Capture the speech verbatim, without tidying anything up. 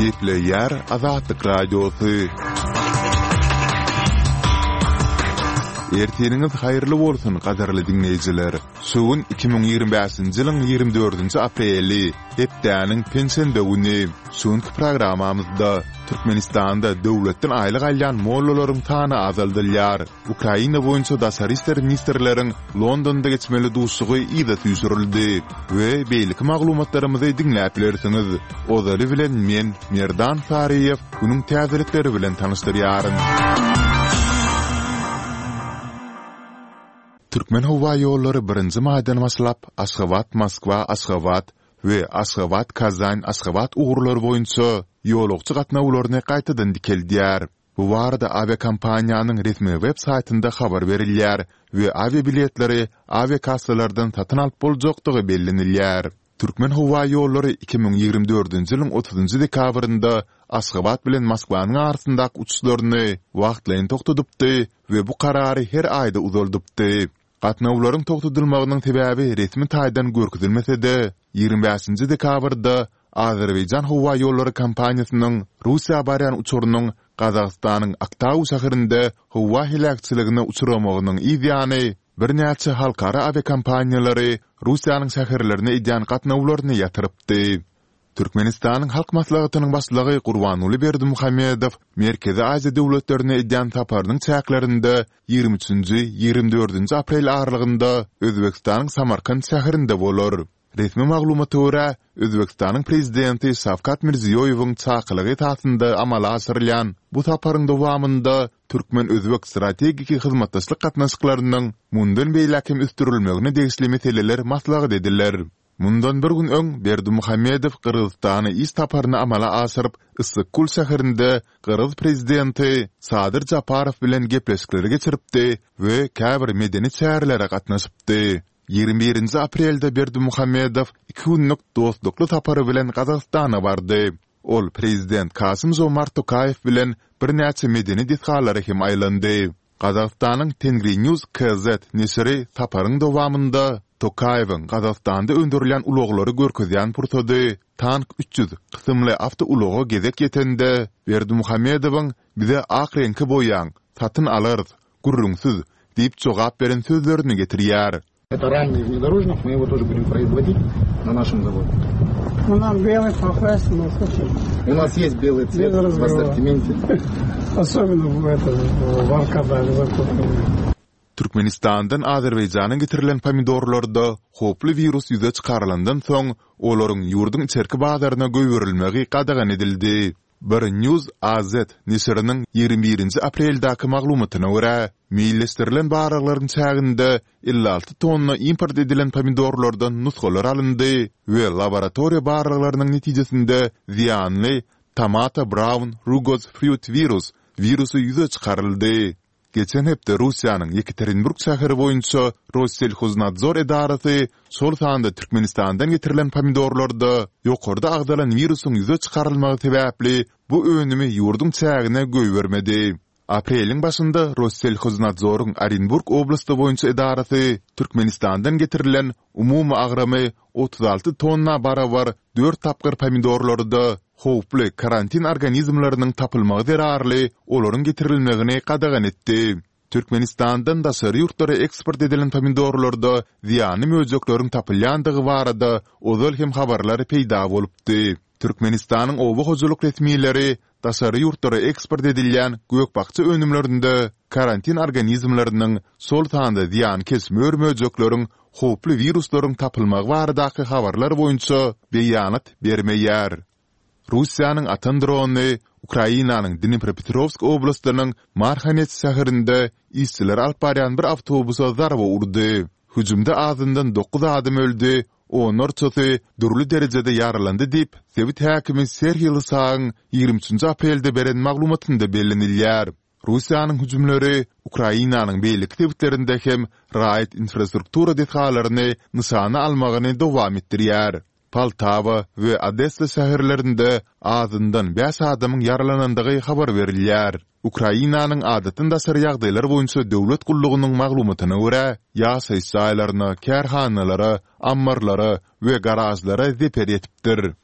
Gepleýär Azatlyk Radiosy. Ertiriňiz haýyrly bolsun, gadyrly diňleýjiler! Şu gün iki müň ýigrimi bäşinji ýylyň ýigrimi dördünji apreli, hepdäniň penşenbe güni. Şu günki programmamyzda Türkmenistanda döwletden aýlyk alýan mollalaryň sany azaldylýar. Ukraina boýunça daşary işler ministrleriň Londonda geçmeli duşuşygy yza süýşürildi we beýleki maglumatlarymyzy diňläp bilersiňiz. Ozaly bilen men, Merdan Saryýew, günüň täzelikleri bilen tanyşdyrýaryn. Türkmenhowaýollary birinji maýdan başlap, Aşgabat-Moskwa-Aşgabat we Aşgabat-Kazan-Aşgabat ugurlary boýunça ýolagçy gatnawlaryny gaýtadan dikeldýär. Bu barada awiakompaniýanyň resmi web saýtynda habar berilýär we awiabiletleri awiakassalardan satyn alyp boljakdygy bellenilýär. Türkmenhowaýollary iki müň ýigrimi dördünji ýylyň otuzynjy dekabrynda Aşgabat bilen Moskwanyň arasyndaky uçuşlaryny wagtlaýyn togtadypdy we bu karary her aýda uzaldypdy. Gatnawlaryň togtadylmagynyň sebäbi resmi taýdan görkezilmese-de, ýigrimi bäşinji dekabrda Azerbaýjan howaýollary kompaniýasynyň Russiýa barýan uçarynyň Gazagystanyň Aktau şäherinde howa heläkçiligine uçramagynyň yz ýany, birnäçe halkara awiakompaniýalary Russiýanyň şäherlerine edýän gatnawlaryny ýatyrypdy. Türkmenistanyň Halk Maslahatynyň Başlygy Gurbanguly Berdimuhamedow Merkezi Aziýa döwletlerine edýän saparynyň çäklerinde ýigrimi üçünji, ýigrimi dördünji aprel aralygynda Özbegistanyň Samarkant şäherinde bolar. Resmi maglumata görä, Özbegistanyň Prezidenti Şawkat Mirziýoýewiň çakylygy esasynda amala aşyrylýan bu saparyň dowamynda türkmen-özbek strategik hyzmatdaşlyk gatnaşyklarynyň mundan beýläk hem ösdürilmegine degişli meseleler maslahat ediler. Mundan bir gün öň Berdimuhamedow Gyrgyzystana iş saparyny amala aşyryp, Yssyk-Kul şäherinde gyrgyz prezidenti Sadyr Japarow bilen gepleşikleri geçiripdi we käbir medeni çärelere gatnaşypdy. Ýigrimi birinji aprelde Berdimuhamedow iki günlük dostlukly sapary bilen Gazagystana bardy. Ol prezident Kasym-Žomart Tokaýew bilen birnäçe medeni desgalara hem aýlandy. Gazagystanyň Tengrinews KZ neşiri saparyň dowamynda Tokaýewiň Gazagystanda öndürilýän ulaglary görkezýän pursady Tank üç ýüz kysymly awtoulaga gezek ýetende, Berdimuhamedowyň Bize ak reňke boýaň, satyn alarys, gürrüňsiz diýip jogap beren sözlerini getirýär. Это рамный внедорожник, мы его тоже будем производить на нашем заводе. Ну, нам белый покрасим, ну, слушай. У нас есть белый цвет в ассортименте. Особенно в этом, в Аркадаге закупленный. Türkmenistandan Azerbaýjana getirilen pomidorlarda howply wirus ýüze çykarylandan soň, olaryň ýurduň içerki bazaryna goýberilmegi gadagan edildi. Bir News AZ neşiriniň ýigrimi birinji apreldäki maglumatyna görä, meýilleşdirilen barlaglaryň çäginde elli alty tonna import edilen pomidorlardan nusgalar alyndy we laboratoriýa barlaglarynyň netijesinde zyýanly Tomato Brown Rugose Fruit Virus wirusy ýüze çykaryldy. Geçen hepde Russiýanyň Ýekaterinburg şäheri boýunça Rosselhoznadzor edarasy şol sanda Türkmenistandan getirilen pomidorlarda ýokarda agzalan wirusyň ýüze çykarylmagy sebäpli bu önümi ýurduň çägine goýbermedi. Apreliň başynda Rosselhoznadzoryň Orenburg oblasty boýunça edarasy Türkmenistandan getirilen umumy agramy otuz alty tonna barabar dört tapgyr pomidorlarda howply karantin organizmleriniň tapylmagy zerarly olaryň getirilmegini gadagan etdi. Türkmenistandan daşary ýurtlara eksport edilen pomidorlarda zyýanly möjekleriň tapylýandygy barada ozal hem habarlar peýda bolupdy. Türkmenistanyň oba hojalyk resmileri daşary ýurtlara eksport edilýän gök-bakja önümlerinde karantin organizmleriniň, şol sanda zyýankeş mör-möjekleriň, howply wiruslaryň tapylmagy baradaky habarlar boýunça beýanat bermeýär. Russiýanyň atan drony Ukrainanyň Dnipropetrowsk oblastynyň Marhanets şäherinde işçileri alyp barýan bir awtobusa zarba urdy. Hüjümde azyndan dokuz adam öldi, onlarçasy dürli derejede ýaralandy diýip, sebit häkimi Serhiý Lysagyň ýigrimi üçünji aprelde beren maglumatynda bellenilýär. Russiýanyň hüjümleri Ukrainanyň beýleki sebitlerinde hem raýat infrastruktura desgalaryny nyşana almagyny dowam etdirýär. Poltawa we Odessa şäherlerinde azyndan bäş adamyň ýaralanandygy habar berilýär. Ukrainanyň Adatdan daşary ýagdaýlar boýunça döwlet gullugynyň maglumatyna görä, ýaşaýyş jaýlaryna, kärhanalara, ammarlara we garažlara zeper ýetipdir.